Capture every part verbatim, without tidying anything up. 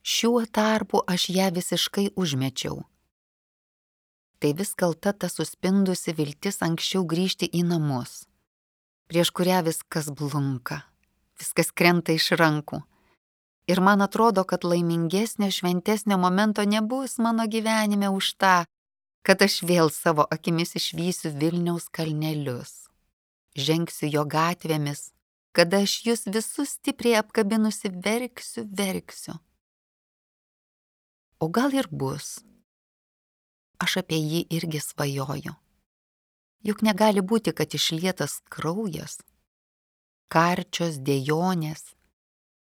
Šiuo tarpu aš ją visiškai užmečiau. Tai vis kalta ta suspindusi viltis anksčiau grįžti į namus, prieš kurią viskas blunka, viskas krenta iš rankų. Ir man atrodo, kad laimingesnio, šventesnio momento nebus mano gyvenime už tą, kad aš vėl savo akimis išvysiu Vilniaus kalnelius, žengsiu jo gatvėmis, kada aš jūs visus stipriai apkabinusi verksiu, verksiu. O gal ir bus. Aš apie jį irgi svajoju. Juk negali būti, kad išlietas kraujas, karčios dejonės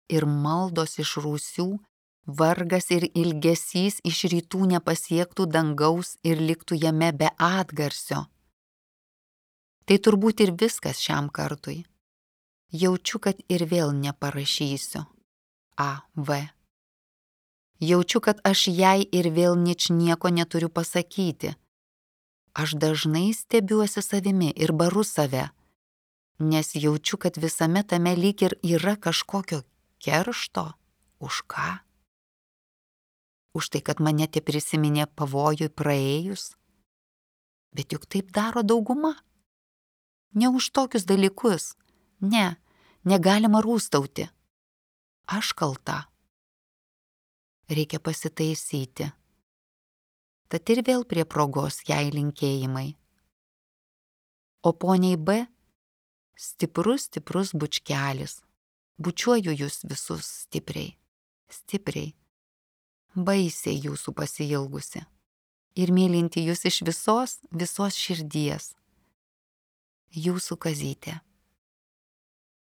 ir maldos iš rūsių, vargas ir ilgesys iš rytų nepasiektų dangaus ir liktų jame be atgarsio. Tai turbūt ir viskas šiam kartui. Jaučiu, kad ir vėl neparašysiu. A V. Jaučiu, kad aš jai ir vėl ničnieko neturiu pasakyti. Aš dažnai stebiuosi savimi ir baru save, nes jaučiu, kad visame tame lyg ir yra kažkokio keršto. Už ką? Už tai, kad mane te prisiminė pavojui praėjus? Bet juk taip daro dauguma. Ne už tokius dalykus. Ne, negalima rūstauti. Aš kalta. Reikia pasitaisyti. Tad ir vėl prie progos jai linkėjimai. O poniai B stiprus, stiprus bučkelis. Bučiuoju jūs visus stipriai, stipriai, baisiai jūsų pasiilgusi ir mylinti jūs iš visos, visos širdies. Jūsų Kazytė.